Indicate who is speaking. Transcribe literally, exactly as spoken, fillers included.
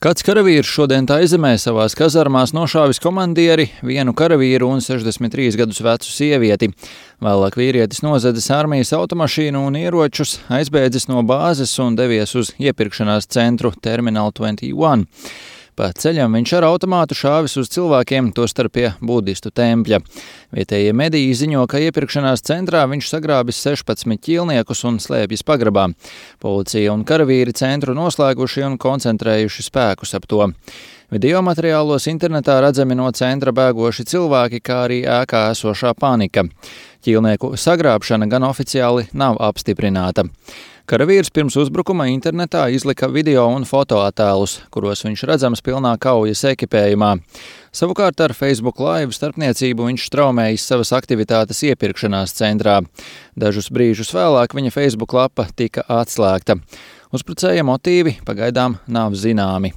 Speaker 1: Kāds karavīrs šodien Taizemē savās kazarmās nošāvis komandieri, vienu karavīru un sešdesmit trīs gadus vecu sievieti. Vēlāk vīrietis nozadzis armijas automašīnu un ieročus, aizbēdzis no bāzes un devies uz iepirkšanās centru Terminal divdesmit viens. Pa ceļam viņš ar automātu šāvis uz cilvēkiem, tostarp pie budistu tempļa. Vietējie mediji ziņo, ka iepirkšanās centrā viņš sagrābis sešpadsmit ķīlniekus un slēpjas pagrabā. Policija un karavīri centru noslēguši un koncentrējuši spēkus ap to. Video materiālos internetā redzami no centra bēgoši cilvēki, kā arī ēkā esošā panika. Ķīlnieku sagrābšana gan oficiāli nav apstiprināta. Karavīrs pirms uzbrukuma internetā izlika video un fotoattēlus, kuros viņš redzams pilnā kaujas ekipējumā. Savukārt ar Facebook Live starpniecību viņš straumējis savas aktivitātes iepirkšanās centrā. Dažus brīžus vēlāk viņa Facebook lapa tika atslēgta. Uzbrucēja motīvi pagaidām nav zināmi.